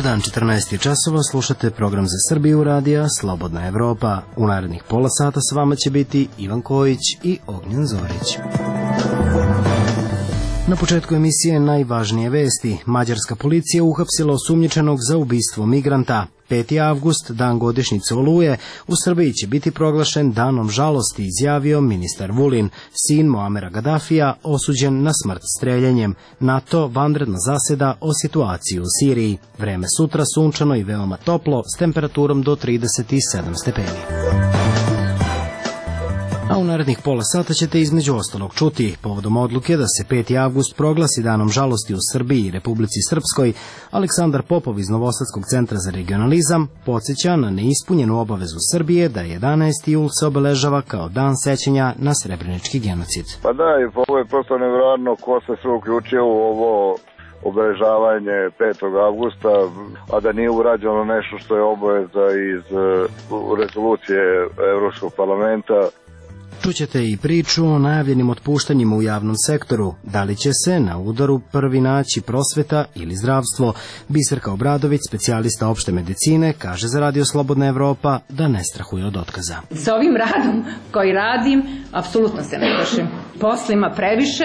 dan, 14 časova, slušate program za Srbiju radija Slobodna Evropa. U narednih pola sata s vama će biti Ivan Kojić i Ognjen Zorić. Na početku emisije najvažnije vesti. Mađarska policija uhapsila osumnjičenog za ubistvo migranta. 5. avgust, dan godišnjice Oluje, u Srbiji će biti proglašen danom žalosti, izjavio ministar Vulin, sin Muamera Gadafija, osuđen na smrt streljanjem. NATO vanredno zaseda o situaciji u Siriji. Vreme sutra sunčano i veoma toplo, s temperaturom do 37 stepeni. A u narednih pola sata ćete između ostalog čuti, povodom odluke da se 5. avgust proglasi danom žalosti u Srbiji i Republici Srpskoj, Aleksandar Popov iz Novosadskog centra za regionalizam podsjeća na neispunjenu obavezu Srbije da 11. jul se obeležava kao dan sećanja na srebrenički genocid. Pa da, ovo je prosto nevjerojatno ko se sve uključio u ovo obeležavanje 5. avgusta, a da nije urađeno nešto što je obaveza iz rezolucije Evropskog parlamenta. Čućete i priču o najavljenim otpuštanjima u javnom sektoru. Da li će se na udaru prvi naći prosveta ili zdravstvo? Biserka Obradović, specijalista opšte medicine, kaže za Radio Slobodna Evropa da ne strahuje od otkaza. Sa ovim radom koji radim, apsolutno se ne plašim. Posla ima previše,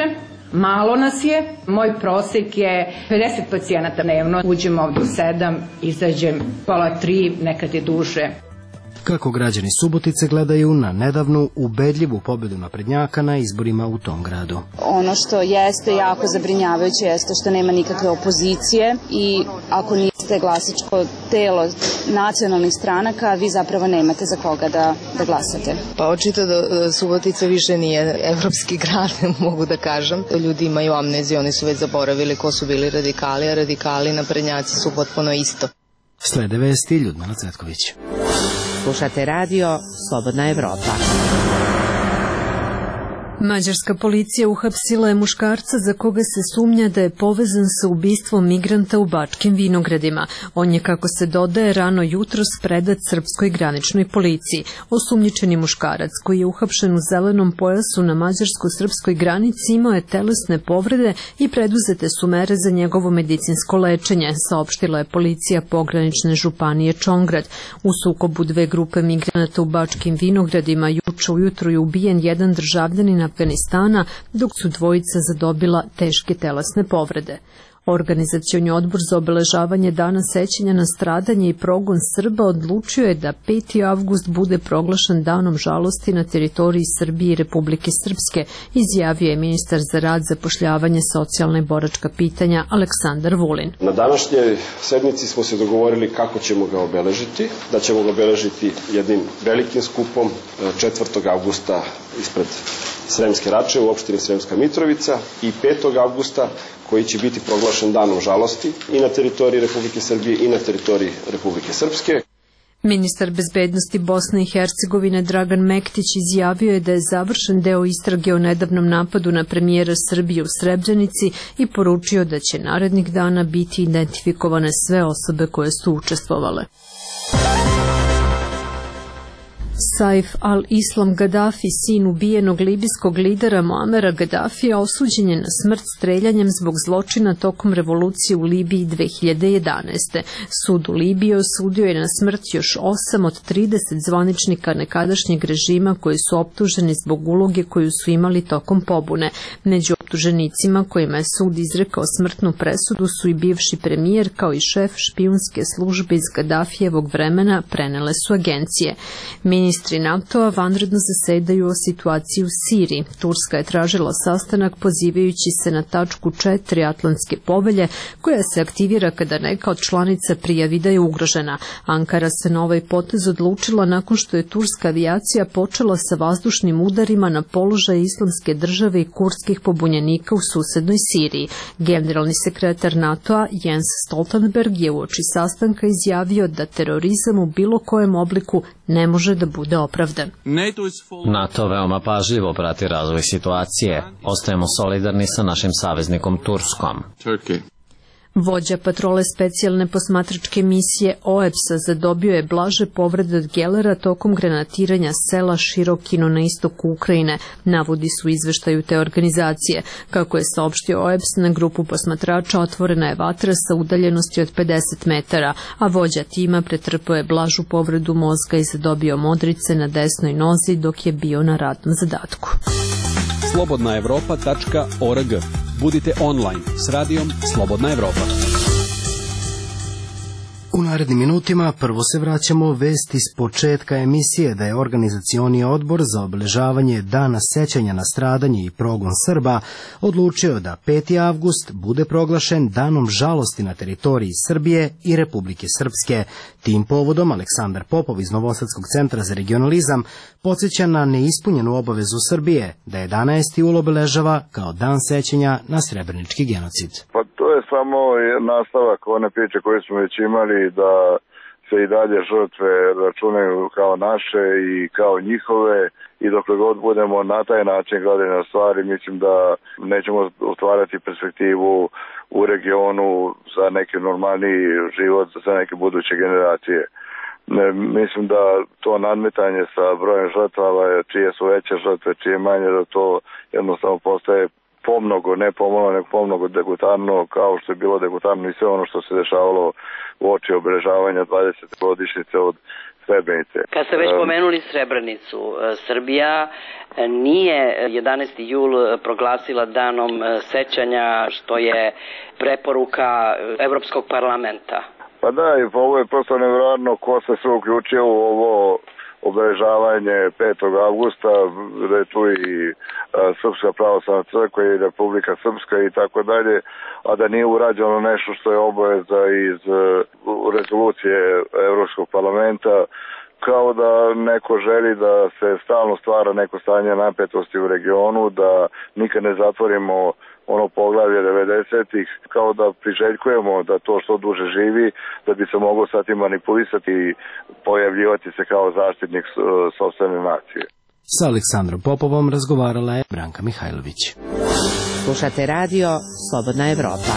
malo nas je. Moj prosek je 50 pacijenata dnevno. Uđem ovdje u 7, izađem pola 3, nekad je duže. Kako građani Subotice gledaju na nedavnu ubedljivu pobedu naprednjaka na izborima u tom gradu. Ono što jeste jako zabrinjavajuće jeste što nema nikakve opozicije i ako niste glasačko telo nacionalnih stranaka, vi zapravo nemate za koga da glasate. Pa očito da Subotica više nije evropski grad, mogu da kažem. Ljudi imaju amneziju, oni su već zaboravili ko su bili radikali, a radikali i naprednjaci su potpuno isto. Slede vesti, Ljudmila Cvetković. Slušate radio Slobodna Evropa. Mađarska policija uhapsila je muškarca za koga se sumnja da je povezan sa ubistvom migranta u Bačkim Vinogradima. On je, kako se dodaje, rano jutros predat srpskoj graničnoj policiji. Osumnjičeni muškarac, koji je uhapšen u zelenom pojasu na mađarsko-srpskoj granici, imao je telesne povrede i preduzete su mere za njegovo medicinsko lečenje, saopštila je policija pogranične županije Čongrad. U sukobu dve grupe migranata u Bačkim Vinogradima juče ujutro je ubijen jedan državljanin Afganistana, dok su dvojica zadobila teške telesne povrede. Organizacioni odbor za obeležavanje dana sećanja na stradanje i progon Srba odlučio je da 5. avgust bude proglašen danom žalosti na teritoriji Srbije i Republike Srpske, izjavio je ministar za rad, zapošljavanje, socijalna i boračka pitanja Aleksandar Vulin. Na današnjoj sednici smo se dogovorili kako ćemo ga obeležiti, da ćemo ga obeležiti jednim velikim skupom 4. avgusta ispred Sremske Rače u opštini Sremska Mitrovica i 5. avgusta koji će biti proglašen danom žalosti i na teritoriji Republike Srbije i na teritoriji Republike Srpske. Ministar bezbednosti Bosne i Hercegovine Dragan Mektić izjavio je da je završen deo istrage o nedavnom napadu na premijera Srbije u Srebrenici i poručio da će narednih dana biti identifikovane sve osobe koje su učestvovale. Saif al-Islam Gaddafi, sin ubijenog libijskog lidera Muamera Gaddafija, osuđen je na smrt streljanjem zbog zločina tokom revolucije u Libiji 2011. Sud u Libiji osudio je na smrt još 8 od 30 zvaničnika nekadašnjeg režima koji su optuženi zbog uloge koju su imali tokom pobune. Među optuženicima kojima je sud izrekao smrtnu presudu su i bivši premijer kao i šef špijunske službe iz Gaddafijevog vremena, prenele su agencije. Ministri NATO-a vanredno zasedaju o situaciji u Siriji. Turska je tražila sastanak pozivajući se na tačku 4 Atlantske povelje, koja se aktivira kada neka od članica prijavi da je ugrožena. Ankara se na ovaj potez odlučila nakon što je turska avijacija počela sa vazdušnim udarima na položaje Islamske države i kurdskih pobunjenika u susednoj Siriji. Generalni sekretar NATO-a Jens Stoltenberg je uoči sastanka izjavio da terorizam u bilo kojem obliku ne može da bude opravdan. NATO veoma pažljivo prati razvoj situacije. Ostajemo solidarni sa našim saveznikom Turskom. Vođa patrole specijalne posmatračke misije OEBS-a zadobio je blaže povrede od gelera tokom granatiranja sela Širokino na istoku Ukrajine, navodi su u izveštaju te organizacije. Kako je saopštio OEBS, na grupu posmatrača otvorena je vatra sa udaljenosti od 50 metara, a vođa tima pretrpao je blažu povredu mozga i zadobio modrice na desnoj nozi dok je bio na radnom zadatku. slobodnaevropa.org. Budite online s radijom Slobodna Evropa. U narednim minutima prvo se vraćamo vesti s početka emisije da je organizacioni odbor za obeležavanje Dana sećanja na stradanje i progon Srba odlučio da 5. avgust bude proglašen danom žalosti na teritoriji Srbije i Republike Srpske. Tim povodom Aleksandar Popov iz Novosadskog centra za regionalizam podsjeća na neispunjenu obavezu Srbije da 11. jul obeležava kao dan sećanja na srebrenički genocid. Pa to je samo nastavak one priče koje smo već imali, da se i dalje žrtve računaju kao naše i kao njihove, i dokle god budemo na taj način gledali na stvari, mislim da nećemo otvarati perspektivu u regionu za neki normalniji život za neke buduće generacije. Mislim da to nadmetanje sa brojem žrtava, čije su veće žrtve, čije manje, da to jednostavno postaje pomnogo, ne pomalo, nego pomnogo degutarno, kao što je bilo degutarno i sve ono što se dešavalo u oči obeležavanja 20. godišnjice od Srebrenice. Kad ste već pomenuli Srebrenicu, Srbija nije 11. jul proglasila danom sećanja, što je preporuka Evropskog parlamenta. Pa da, i ovo je prosto nevjerojatno ko se sve uključio u ovo obeležavanje 5. avgusta, da je tu i Srpska pravoslavna crkva i Republika Srpska i tako dalje, a da nije urađeno nešto što je obaveza iz rezolucije Evropskog parlamenta, kao da neko želi da se stalno stvara neko stanje napetosti u regionu, da nikad ne zatvorimo ono poglavlje 90-ih, kao da priželjkujemo da to što duže živi, da bi se moglo sad i manipulisati i pojavljivati se kao zaštitnik sopstvene nacije. Sa Aleksandrom Popovom razgovarala je Branka Mihajlović. Slušate radio Slobodna Evropa.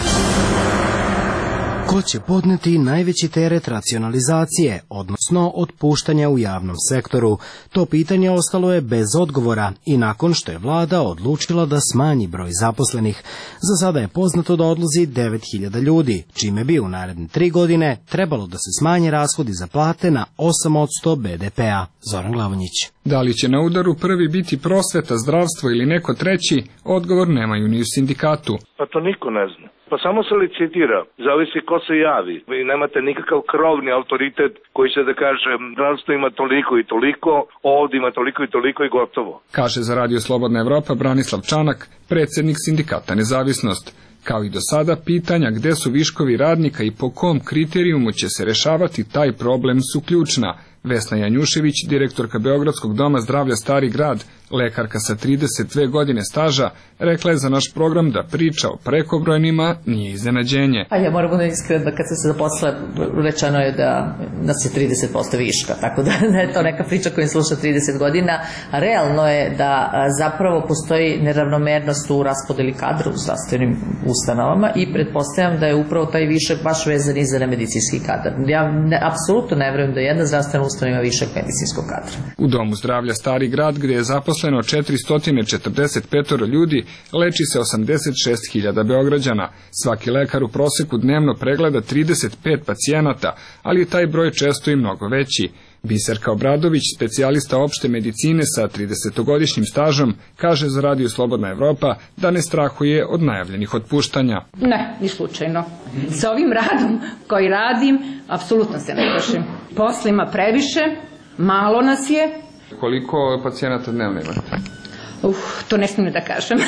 Ko će podneti najveći teret racionalizacije, odnosno otpuštanja u javnom sektoru? To pitanje ostalo je bez odgovora i nakon što je vlada odlučila da smanji broj zaposlenih. Za sada je poznato da odlazi 9.000 ljudi, čime bi u naredne 3 godine trebalo da se smanje rashodi za plate na 8% BDP-a. Zoran Glavonjić. Da li će na udaru prvi biti prosveta, zdravstvo ili neko treći, odgovor nemaju ni u sindikatu. Pa to niko ne zna. Pa samo se licitira, zavisi ko se javi. Vi nemate nikakav krovni autoritet koji će da kaže zdravstvo ima toliko i toliko, ovdje ima toliko i toliko i gotovo. Kaže za Radio Slobodna Evropa Branislav Čanak, predsjednik sindikata Nezavisnost. Kao i do sada, pitanja gde su viškovi radnika i po kom kriterijumu će se rešavati taj problem su ključna. Vesna Janjušević, direktorka Beogradskog doma zdravlja Stari grad, lekarka sa 32 godine staža, rekla je za naš program da priča o prekobrojnima nije iznenađenje. A ja moram da iskreno da kad sam se zaposlila, rečeno je da nas je 30% viška, tako da je to neka priča koju sluša 30 godina. A realno je da zapravo postoji neravnomernost u raspodeli kadra u zdravstvenim ustanovama i pretpostavljam da je upravo taj višak baš vezan i za nemedicinski kadar. Ja apsolutno ne verujem da jedna zdravstvena ustanova ima višak medicinskog kadra. U domu zdravlja Stari grad, gde je zaposleno 445 ljudi, leči se 86.000 Beograđana. Svaki lekar u proseku dnevno pregleda 35 pacijenata, ali je taj broj često i mnogo veći. Biserka Obradović, specijalista opšte medicine sa 30-godišnjim stažom, kaže za Radio Slobodna Evropa da ne strahuje od najavljenih otpuštanja. Ne, ni slučajno. Sa ovim radom koji radim, apsolutno se ne plašim. Posla ima previše, malo nas je. Koliko pacijenata dnevno imate? To ne smijem da kažem.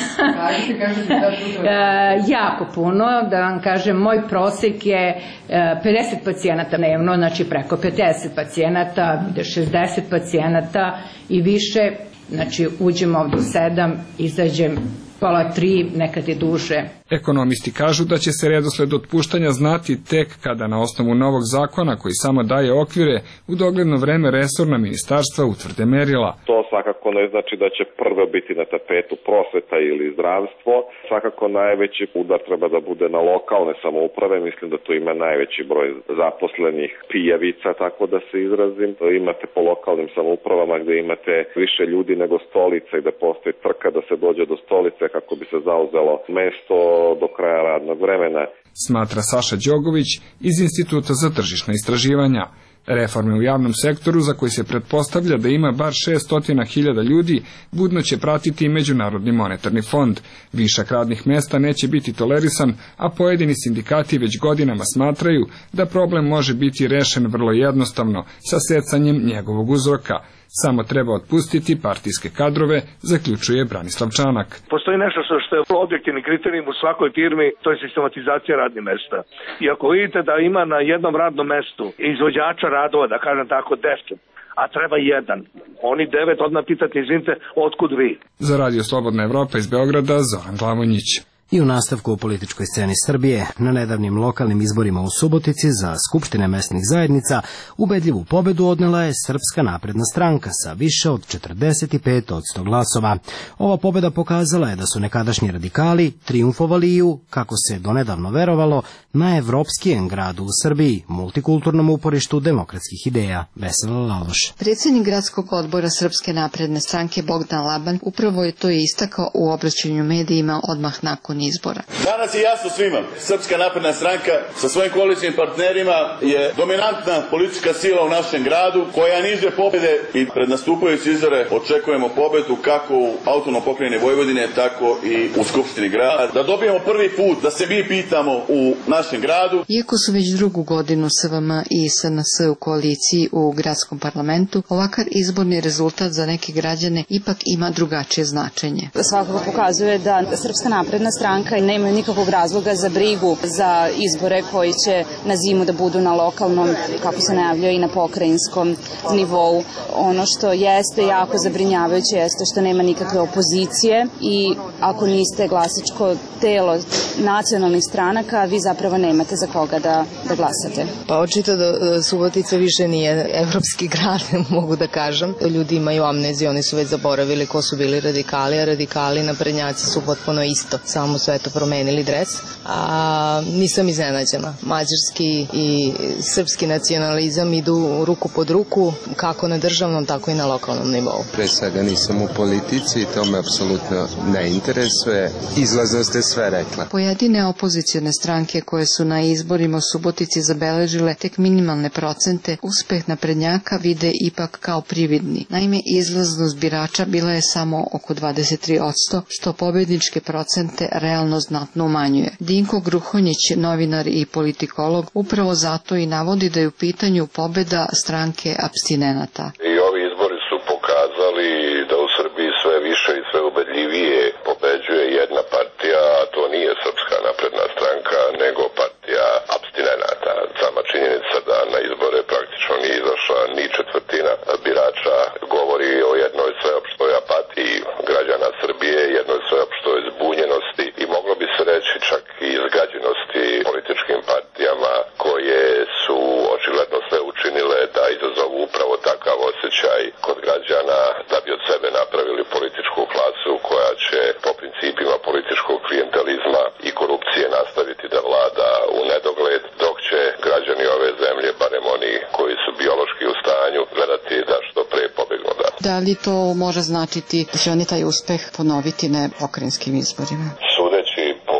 Jako puno, da vam kažem, moj prosek je 50 pacijenata dnevno, znači preko 50 pacijenata, 60 pacijenata i više, znači uđem ovdje u 7, izađem pola 3, nekad je duže. Ekonomisti kažu da će se redosled otpuštanja znati tek kada na osnovu novog zakona koji samo daje okvire u dogledno vreme resorna ministarstva utvrde merila. To svakako ne znači da će prvo biti na tapetu prosveta ili zdravstvo. Svakako najveći udar treba da bude na lokalne samouprave. Mislim da tu ima najveći broj zaposlenih pijavica, tako da se izrazim. Imate po lokalnim samoupravama gde imate više ljudi nego stolica i da postoji trka da se dođe do stolice kako bi se zauzelo mesto do kraja radnog vremena. Smatra Saša Đogović iz Instituta za tržišna istraživanja. Reforme u javnom sektoru, za koji se pretpostavlja da ima bar 600.000 ljudi, budno će pratiti i Međunarodni monetarni fond. Višak radnih mesta neće biti tolerisan, a pojedini sindikati već godinama smatraju da problem može biti rešen vrlo jednostavno, sa secanjem njegovog uzroka. Samo treba otpustiti partijske kadrove, zaključuje Branislav Čanak. Postoji nešto što je objektivni kriterijum u svakoj firmi, to je sistematizacija radnih mesta. I ako vidite da ima na jednom radnom mestu izvođača radova, da kažem tako 10, a treba 1, oni 9 odmah pitati, izvinite, otkud vi? Za Radio Slobodna Evropa iz Beograda, Zoran Glavonjić. I u nastavku u političkoj sceni Srbije, na nedavnim lokalnim izborima u Subotici za skupštine mesnih zajednica, ubedljivu pobedu odnela je Srpska napredna stranka sa više od 45% glasova. Ova pobeda pokazala je da su nekadašnji radikali triumfovali i u, kako se donedavno verovalo, najevropskijem gradu u Srbiji, multikulturnom uporištu demokratskih ideja. Vesela Laloš. Predsjednik gradskog odbora Srpske napredne stranke Bogdan Laban upravo je to istakao u obraćanju medijima odmah nakon izbora. Danas je jasno svima, Srpska napredna stranka sa svojim koalicijnim partnerima je dominantna politička sila u našem gradu koja niže pobjede i pred nastupajući izbore očekujemo pobedu kako u autonomnoj pokrajini Vojvodine, tako i u Skupštini grada. Da dobijemo prvi put da se mi pitamo u našem gradu. Iako su već drugu godinu SVM i SNS u koaliciji u gradskom parlamentu, ovakav izborni rezultat za neke građane ipak ima drugačije značenje. Svakako pokazuje da Srpska napredna stranka nema nikakvog razloga za brigu za izbore koji će na zimu da budu na lokalnom, kako se najavljuje, i na pokrajinskom nivou. Ono što jeste jako zabrinjavajuće jeste što nema nikakve opozicije i ako niste glasačko telo nacionalnih stranaka, vi zapravo nemate za koga da glasate. Pa očito da Subotica više nije evropski grad, mogu da kažem. Ljudi imaju amneziju, oni su već zaboravili ko su bili radikali, a radikali naprednjaci su potpuno isto, samo su eto promenili dres. A nisam iznenađena. Mađarski i srpski nacionalizam idu ruku pod ruku, kako na državnom, tako i na lokalnom nivou. Pre svega nisam u politici i to me apsolutno ne interesuje. Izlazno ste sve rekla. Pojedine opozicijone stranke koje su na izborima u Subotici zabeležile tek minimalne procente, uspeh naprednjaka vide ipak kao prividni. Naime, izlaznost birača bila je samo oko 23%, što pobedničke procente realno znatno umanjuje. Dinko Gruhonjić, novinar i politikolog, upravo zato i navodi da je u pitanju pobeda stranke apstinenata. I ovi izbori su pokazali da u Srbiji sve više i sve ubedljivije pobeđuje jedna partija, a to nije Srpska napredna stranka, nego partija apstinenata. Sama činjenica da na izbore praktično nije izašla ni četvrtina birača govori o jednoj sveopštoj apatiji građana Srbije, jednoj sveopštoj zbunjenosti i moglo bi se reći čak i izgađenosti političkim partijama koje su očigledno sve učinile da izazovu upravo takav osjećaj kod građana da bi od sebe napravili političku klasu koja će po principima političkog klijentelizma i korupcije nastaviti da vlada u nedogled, dok će građani ove zemlje, barem oni koji su biološki u stanju, gledati da što pre pobegnu odatle. Da li to može značiti da će oni taj uspeh ponoviti na pokrajinskim izborima? Sudeći po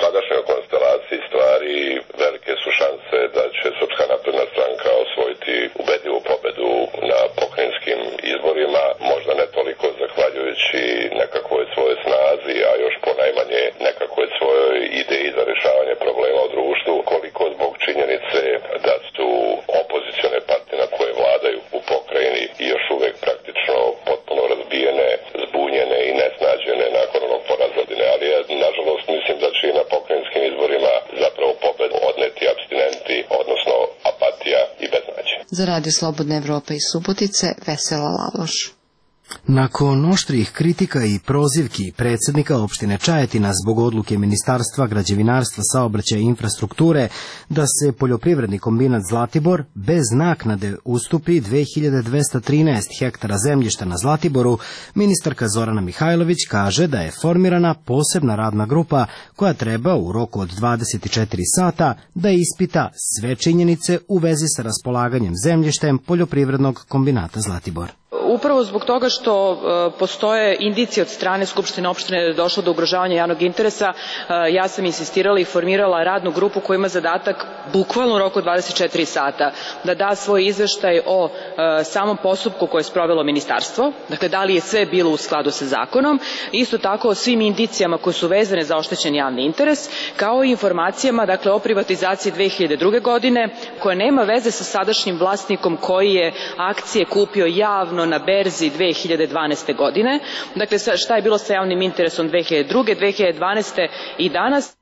sadašnjoj konstelaciji stvari, velike su šanse da će Srpska napredna stranka osvojiti ubedljivu pobedu na pokrajinskim izborima, možda ne toliko zahvaljujući nekakvoj svojoj snazi, a još ponajmanje nekakvoj svojoj ideji za rešavanje problema u društvu, koliko zbog činjenice da su opozicione partije na koje vladaju u pokrajini i još uvek praktično potpuno razbijene, zbunjene i nesnađene nakon onog poraza. Ali ja nažalost mislim da će i na pokrajinskim izborima zapravo pobedu odneti apstinenti, odnosno apatija i beznađe. Za Radio Slobodna Evropa iz Subotice, Vesela Laloš. Nakon oštrih kritika i prozivki predsjednika opštine Čajetina zbog odluke Ministarstva građevinarstva, saobraćaja i infrastrukture da se poljoprivredni kombinat Zlatibor bez naknade ustupi 2213 hektara zemljišta na Zlatiboru, ministarka Zorana Mihajlović kaže da je formirana posebna radna grupa koja treba u roku od 24 sata da ispita sve činjenice u vezi sa raspolaganjem zemljištem poljoprivrednog kombinata Zlatibor. Upravo zbog toga što postoje indicije od strane Skupštine opštine da je došlo do ugrožavanja javnog interesa, ja sam insistirala i formirala radnu grupu koja ima zadatak bukvalno u roku 24 sata da da svoj izveštaj o samom postupku koje je sprovelo ministarstvo, dakle da li je sve bilo u skladu sa zakonom, isto tako o svim indicijama koje su vezane za oštećen javni interes, kao i informacijama dakle o privatizaciji 2002. godine koja nema veze sa sadašnjim vlasnikom koji je akcije kupio javno na berzi 2012. godine. Dakle, šta je bilo sa javnim interesom 2002. 2012. i danas?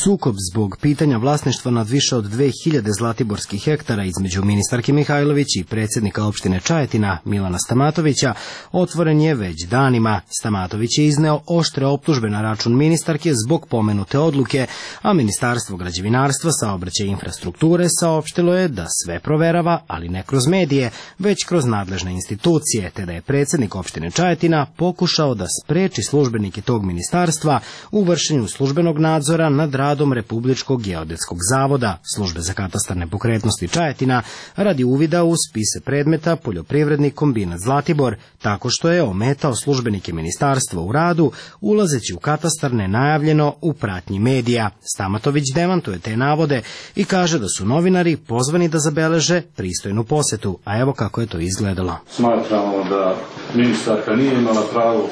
Sukob zbog pitanja vlasništva nad više od 2000 zlatiborskih hektara između ministarke Mihajlović i predsjednika opštine Čajetina Milana Stamatovića otvoren je već danima. Stamatović je izneo oštre optužbe na račun ministarke zbog pomenute odluke, a Ministarstvo građevinarstva, saobraćaja i infrastrukture saopštilo je da sve proverava, ali ne kroz medije, već kroz nadležne institucije, te da je predsjednik opštine Čajetina pokušao da spreči službenike tog ministarstva u vršenju službenog nadzora nad radom Republičkog geodetskog zavoda, Službe za katastar nepokretnosti Čajetina, radi uvida u spise predmeta poljoprivredni kombinat Zlatibor, tako što je ometao službenike ministarstva u radu, ulazeći u katastar nenajavljeno u pratnji medija. Stamatović demantuje te navode i kaže da su novinari pozvani da zabeleže pristojnu posetu, a evo kako je to izgledalo. Smatramo da ministarka nije imala pravo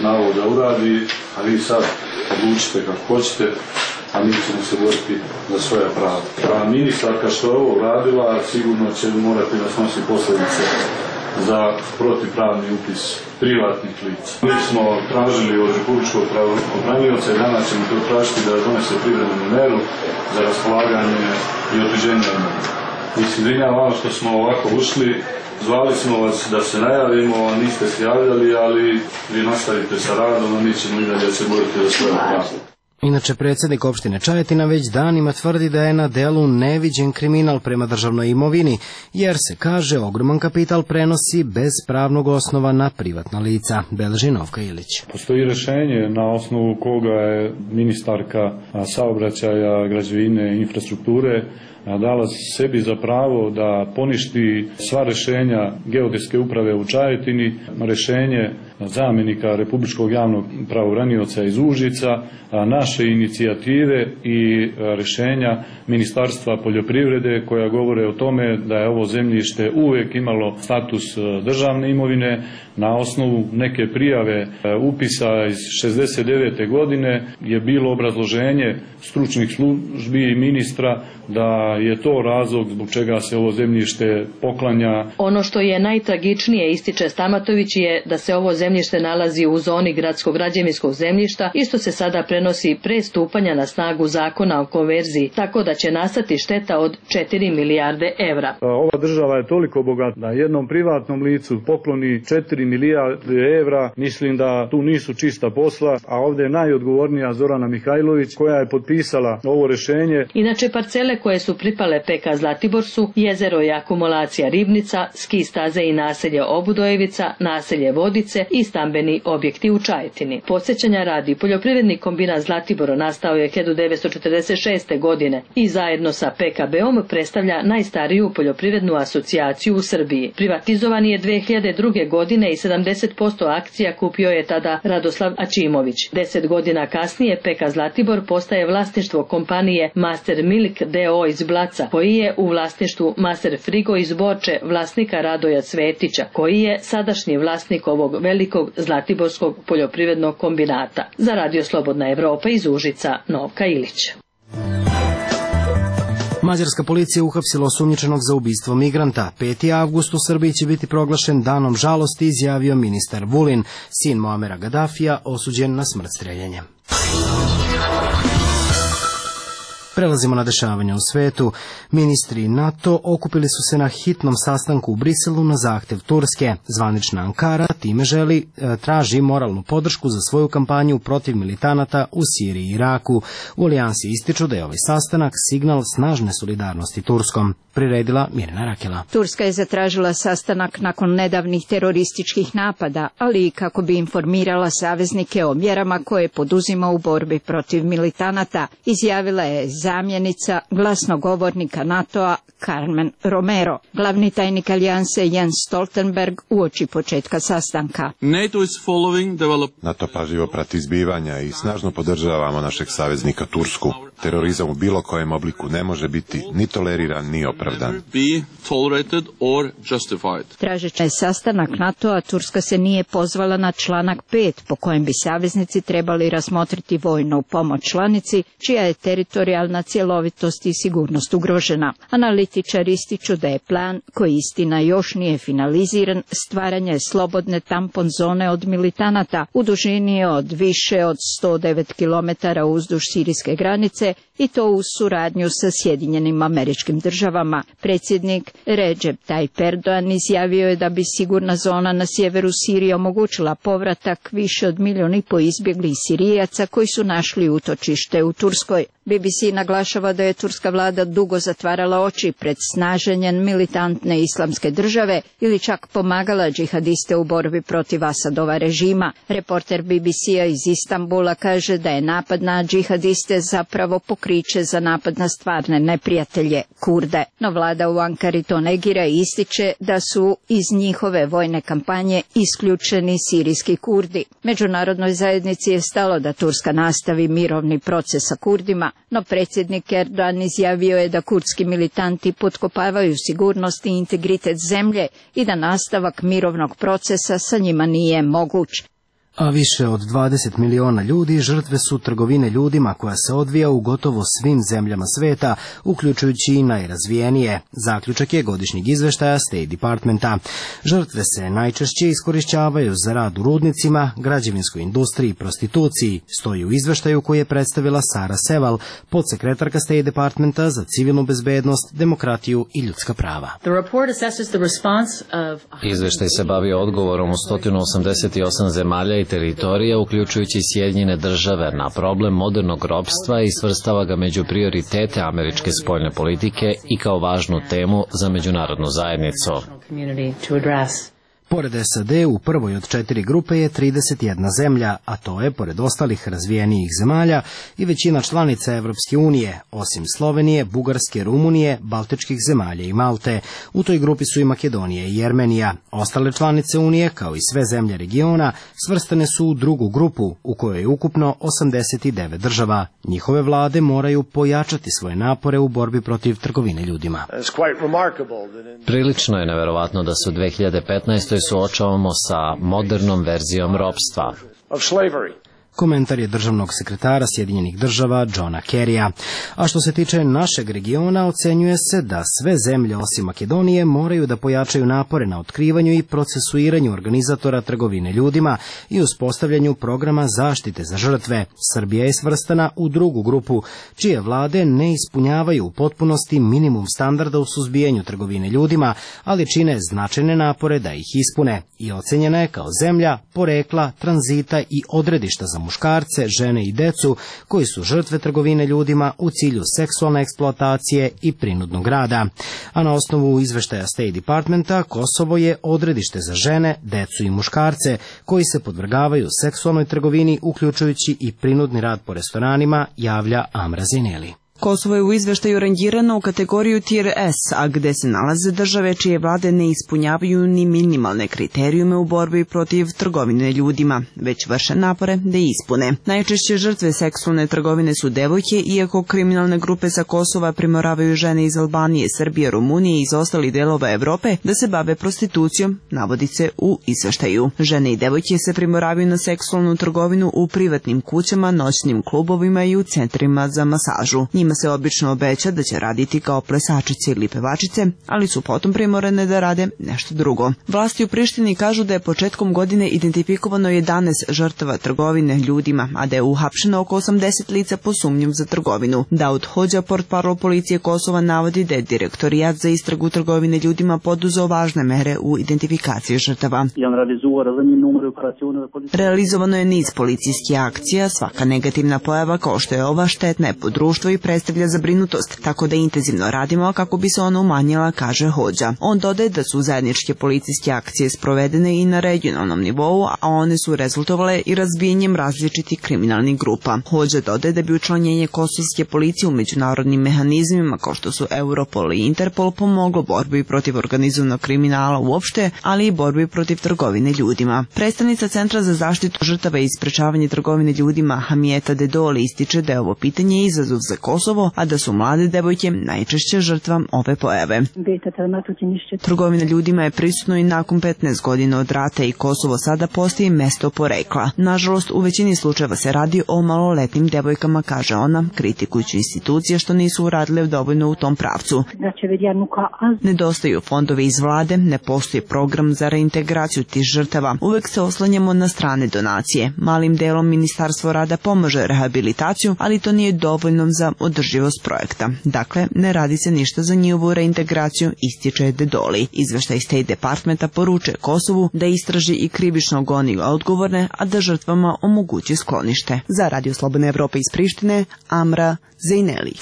na ovo da uradi, a vi sad odlučite kako hoćete, a mi ćemo se boriti za svoja prava. A ministarka što je ovo uradila, sigurno će morati da snosi posljedice za protivpravni upis privatnih lica. Mi smo tražili od Republičkog pravobranioca i danas ćemo to tražiti da donese privremenu meru za raspolaganje i otuđenje imovine. Izvinjavam što smo ovako ušli, zvali smo vas da se najavimo, niste se javljali, ali vi nastavite sa radom, a mi ćemo i dalje se boriti za svoje prava. Inače, predsjednik opštine Čajetina već danima tvrdi da je na delu neviđen kriminal prema državnoj imovini, jer se, kaže, ogroman kapital prenosi bez pravnog osnova na privatna lica. Beleži Novka Ilić. Postoji rješenje na osnovu koga je ministarka saobraćaja, građevine i infrastrukture dala sebi za pravo da poništi sva rješenja geodetske uprave u Čajetini, rješenje zamjenika Republičkog javnog pravobranioca iz Užica, naše inicijative i rješenja Ministarstva poljoprivrede koja govore o tome da je ovo zemljište uvijek imalo status državne imovine. Na osnovu neke prijave upisa iz 69. godine je bilo obrazloženje stručnih službi i ministra da je to razlog zbog čega se ovo zemljište poklanja. Ono što je najtragičnije, ističe Stamatović, je da se ovo zemljište nalazi u zoni gradskog građevinskog zemljišta i što se sada prenosi pre stupanja na snagu zakona o konverziji, tako da će nastati šteta od 4 milijarde evra. Ova država je toliko bogata da jednom privatnom licu pokloni 4 milijarde evra. Mislim da tu nisu čista posla, a ovdje je najodgovornija Zorana Mihajlović koja je potpisala ovo rješenje. Inače, parcele koje su pripale PK Zlatibor su jezero i akumulacija Ribnica, ski staze i naselje Obudojevica, naselje Vodice i stambeni objekti u Čajetini. Podsjećanja radi, poljoprivredni kombinat Zlatibor nastao je 1946. godine i zajedno sa PKB-om predstavlja najstariju poljoprivrednu asocijaciju u Srbiji. Privatizovan je 2002. godine i 70% akcija kupio je tada Radoslav Ačimović. 10 godina kasnije PK Zlatibor postaje vlasništvo kompanije Master Milk D.O. iz Blaca, koji je u vlasništvu Master Frigo iz Borče vlasnika Radoja Cvetića, koji je sadašnji vlasnik ovog velikog zlatiborskog poljoprivrednog kombinata. Za Radio Slobodna Evropa iz Užica, Novka Ilić. Mađarska policija uhapsila osumnjičenog za ubistvo migranta. 5. avgust u Srbiji će biti proglašen danom žalosti, izjavio ministar Vulin, sin Muamera Gadafija, osuđen na smrt streljanjem. Prelazimo na dešavanja u svetu. Ministri NATO okupili su se na hitnom sastanku u Briselu na zahtev Turske. Zvanična Ankara time traži moralnu podršku za svoju kampanju protiv militanata u Siriji i Iraku. U alijansi ističu da je ovaj sastanak signal snažne solidarnosti Turskom. Priredila Mirjana Rakela. Turska je zatražila sastanak nakon nedavnih terorističkih napada, ali i kako bi informirala saveznike o mjerama koje poduzima u borbi protiv militanata, izjavila je zamjenica glasnogovornika NATO-a Carmen Romero. Glavni tajnik alijanse Jens Stoltenberg uoči početka sastanka. NATO pažljivo prati zbivanja i snažno podržavamo našeg saveznika Tursku. Terorizam u bilo kojem obliku ne može biti ni toleriran ni opravdan. Tražeći sastanak NATO-a, Turska se nije pozvala na članak 5 po kojem bi saveznici trebali razmotriti vojnu pomoć članici čija je teritorijalna cjelovitost i sigurnost ugrožena. Analitičari ističu da je plan, koji istina još nije finaliziran, stvaranje slobodne tampon zone od militanata u dužini od više od 109 km uzduž sirijske granice i to uz suradnju sa Sjedinjenim Američkim Državama. Predsjednik Recep Tayyip Erdogan izjavio je da bi sigurna zona na sjeveru Sirije omogućila povratak više od 1,5 milijuna izbjeglih Sirijaca koji su našli utočište u Turskoj. BBC naglašava da je turska vlada dugo zatvarala oči pred snaženjem militantne islamske države ili čak pomagala džihadiste u borbi protiv Asadova režima. Reporter BBC-a iz Istanbula kaže da je napad na džihadiste zapravo pokriće za napad na stvarne neprijatelje, Kurde. No vlada u Ankari to negira i ističe da su iz njihove vojne kampanje isključeni sirijski Kurdi. Međunarodnoj zajednici je stalo da Turska nastavi mirovni proces sa Kurdima, no predsjednik Erdogan izjavio je da kurdski militanti potkopavaju sigurnost i integritet zemlje i da nastavak mirovnog procesa sa njima nije moguć. A više od 20 miliona ljudi žrtve su trgovine ljudima koja se odvija u gotovo svim zemljama sveta, uključujući i najrazvijenije. Zaključak je godišnjeg izveštaja State Departmenta. Žrtve se najčešće iskorišćavaju za rad u rudnicima, građevinskoj industriji i prostituciji, stoji u izveštaju koji je predstavila Sara Seval, podsekretarka State Departmenta za civilnu bezbednost, demokratiju i ljudska prava. Izveštaj se bavi odgovorom u 188 zemalja i teritorija, uključujući Sjedinjene Države, na problem modernog ropstva i svrstava ga među prioritete američke spoljne politike i kao važnu temu za međunarodnu zajednicu. Pored SAD u prvoj od 4 grupe je 31 zemlja, a to je, pored ostalih razvijenijih zemalja, i većina članica Evropske unije, osim Slovenije, Bugarske, Rumunije, Baltičkih zemalja i Malte. U toj grupi su i Makedonija i Jermenija. Ostale članice Unije, kao i sve zemlje regiona, svrstane su u drugu grupu, u kojoj je ukupno 89 država. Njihove vlade moraju pojačati svoje napore u borbi protiv trgovine ljudima. Prilično je neverovatno da se u 2015. suočavamo sa modernom verzijom ropstva. Komentar je državnog sekretara Sjedinjenih Država Johna Kerrya. A što se tiče našeg regiona, ocenjuje se da sve zemlje osim Makedonije moraju da pojačaju napore na otkrivanju i procesuiranju organizatora trgovine ljudima i uspostavljanju programa zaštite za žrtve. Srbija je svrstana u drugu grupu, čije vlade ne ispunjavaju u potpunosti minimum standarda u suzbijanju trgovine ljudima, ali čine značajne napore da ih ispune i ocenjena je kao zemlja porekla, tranzita i odredišta za muškarce, žene i decu koji su žrtve trgovine ljudima u cilju seksualne eksploatacije i prinudnog rada. A na osnovu izveštaja State Departmenta, Kosovo je odredište za žene, decu i muškarce koji se podvrgavaju seksualnoj trgovini, uključujući i prinudni rad po restoranima, javlja Amra Zineli. Kosovo je u izveštaju rangirano u kategoriju Tier S, a gde se nalaze države čije vlade ne ispunjavaju ni minimalne kriterijume u borbi protiv trgovine ljudima, već vrše napore da ispune. Najčešće žrtve seksualne trgovine su devojke, iako kriminalne grupe sa Kosova primoravaju žene iz Albanije, Srbije, Rumunije i iz ostalih delova Evrope da se bave prostitucijom, navodi se u izveštaju. Žene i devojke se primoravaju na seksualnu trgovinu u privatnim kućama, noćnim klubovima i u centrima za masažu. Njima Njima se obično obeća da će raditi kao plesačice ili pevačice, ali su potom primorane da rade nešto drugo. Vlasti u Prištini kažu da je početkom godine identifikovano 11 žrtava trgovine ljudima, a da je uhapšeno oko 80 lica po sumnjom za trgovinu. Daud Hođa, portparol policije Kosova, navodi da je Direktorijat za istragu trgovine ljudima poduzeo važne mere u identifikaciji žrtava. Realizovano je niz policijskih akcija, svaka negativna pojava kao što je ova štetna je po društvo i predstavlja zabrinutost, tako da intenzivno radimo kako bi se ona umanjila, kaže Hođa. On dodaje da su zajedničke policijske akcije sprovedene i na regionalnom nivou, a one su rezultovale i razbijanjem različitih kriminalnih grupa. Hođa dodaje da bi učlanjenje kosovske policije u međunarodnim mehanizmima kao što su Europol i Interpol pomoglo borbi protiv organizovanog kriminala uopšte, ali i borbi protiv trgovine ljudima. Predstavnica Centra za zaštitu žrtava i sprečavanje trgovine ljudima Hamijeta Dedoli ističe da je ovo pitanje izazov za Kosovo, a da su mlade devojke najčešće žrtva ove pojave. Trgovina ljudima je prisutno i nakon 15 godina od rata i Kosovo sada postaje mesto porekla. Nažalost, u većini slučajeva se radi o maloletnim devojkama, kaže ona, kritikujući institucije što nisu uradile dovoljno u tom pravcu. Nedostaju fondovi iz vlade, ne postoji program za reintegraciju tih žrtava. Uvek se oslanjamo na strane donacije. Malim delom Ministarstvo rada pomaže rehabilitaciju, ali to nije dovoljno za održivost projekta. Dakle, ne radi se ništa za njihovu reintegraciju, ističe Dedoli. Izveštaj State Departmenta poručuje Kosovu da istraži i krivično goni odgovorne, a da žrtvama omogući sklonište. Za Radio Slobodna Evropa iz Prištine, Amra Zejneli.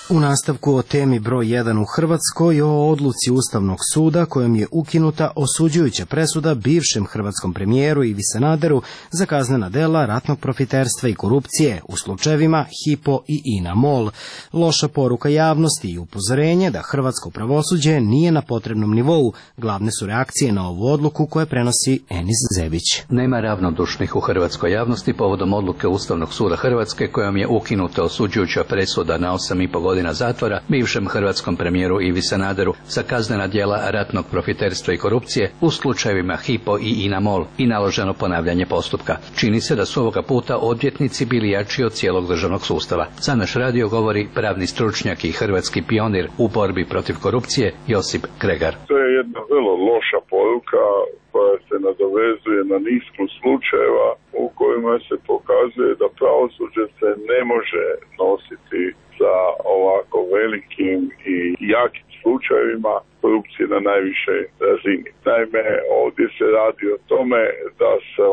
U nastavku o temi broj 1 u Hrvatskoj o odluci Ustavnog suda kojom je ukinuta osuđujuća presuda bivšem hrvatskom premijeru Ivi Sanaderu za kaznena dela ratnog profiterstva i korupcije u slučajevima Hypo i INA MOL. Loša poruka javnosti i upozorenje da hrvatsko pravosuđe nije na potrebnom nivou. Glavne su reakcije na ovu odluku koje prenosi Enis Zebić. Nema ravnodušnih u hrvatskoj javnosti povodom odluke Ustavnog suda Hrvatske kojom je ukinuta osuđujuća presuda na 8,5 godina zatvora bivšem hrvatskom premijeru Ivi Sanaderu za kaznena djela ratnog profiterstva i korupcije u slučajevima Hypo i INA MOL i naloženo ponavljanje postupka. Čini se da su ovoga puta odvjetnici bili jači od cijelog državnog sustava. Za naš radio govori pravni stručnjak i hrvatski pionir u borbi protiv korupcije Josip Kregar. To je jedna vrlo loša poruka koja se nadovezuje na niz slučajeva u kojima se pokazuje da pravosuđe se ne može nositi sa ovako velikim i jakim slučajevima korupcije na najvišoj razini. Naime, ovdje se radi o tome da su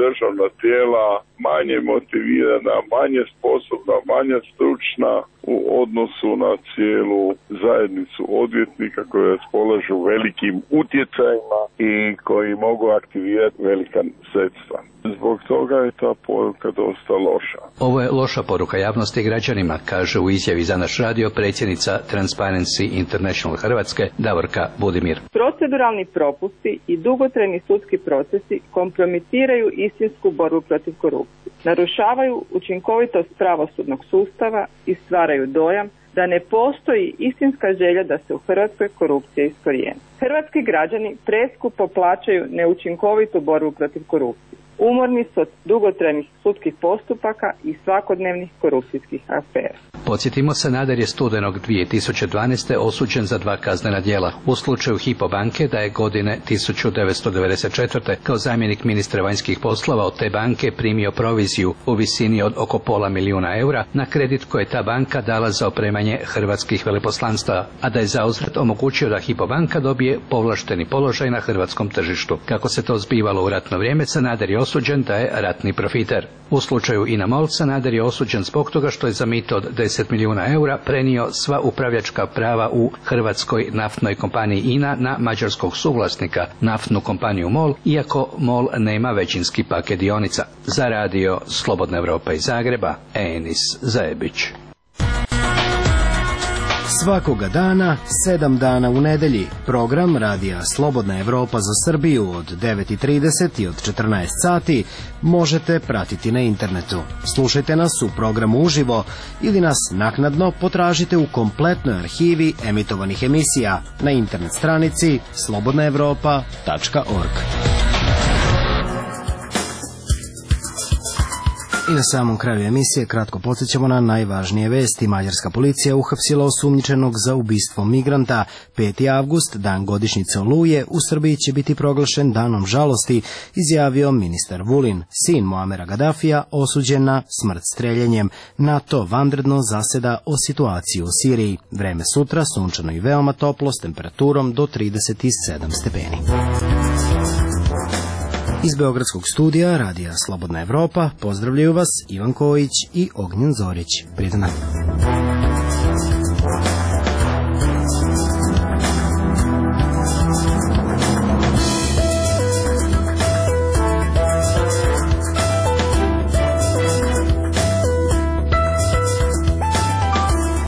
državna tijela manje motivirana, manje sposobna, manje stručna u odnosu na cijelu zajednicu odvjetnika koji raspolažu velikim utjecajima i koji mogu aktivirati velika sredstva. Zbog toga je ta poruka dosta loša. Ovo je loša poruka javnosti i građanima, kaže u izjavi za naš radio predsjednica Transparency International Hrvatske Davorka Budimir. Proceduralni propusti i dugotrajni sudski procesi kompromitiraju istinsku borbu protiv korupcije, narušavaju učinkovitost pravosudnog sustava i stvaraju dojam da ne postoji istinska želja da se u Hrvatskoj korupcija iskorijeni. Hrvatski građani preskupo plaćaju neučinkovitu borbu protiv korupcije. Umorni su od dugotrajnih sudskih postupaka i svakodnevnih korupcijskih afera. Podsjetimo, Sanader je studenog 2012. osuđen za 2 kaznena djela. U slučaju Hypo banke da je godine 1994. kao zamjenik ministra vanjskih poslova od te banke primio proviziju u visini od oko $500.000 eura na kredit koje je ta banka dala za opremanje hrvatskih veleposlanstava, a da je zauzvrat omogućio da Hypo banka dobije povlašteni položaj na hrvatskom tržištu. Kako se to zbivalo u ratno vrijeme, Sanader je osuđen da je ratni profiter. U slučaju INA MOL Sanader je osuđen zbog toga što je za mito od 10 milijuna eura prenio sva upravljačka prava u hrvatskoj naftnoj kompaniji INA na mađarskog suvlasnika, naftnu kompaniju MOL, iako MOL nema većinski paket dionica. Za radio Slobodna Evropa iz Zagreba, Enis Zajebić. Svakoga dana, 7 dana u nedelji, program radija Slobodna Evropa za Srbiju od 9:30 i od 14 sati možete pratiti na internetu. Slušajte nas u programu uživo ili nas naknadno potražite u kompletnoj arhivi emitovanih emisija na internet stranici slobodnaevropa.org. I na samom kraju emisije kratko podsjećamo na najvažnije vesti. Mađarska policija uhapsila osumnjičenog za ubistvo migranta. 5. avgust, dan godišnjice Oluje, u Srbiji će biti proglašen danom žalosti, izjavio ministar Vulin. Sin Muamera Gadafija osuđen na smrt streljanjem. NATO vanredno zaseda o situaciji u Siriji. Vreme sutra sunčano i veoma toplo s temperaturom do 37 stepeni. Iz Beogradskog studija Radija Slobodna Evropa pozdravljaju vas Ivan Kojić i Ognjen Zorić. Prijatno.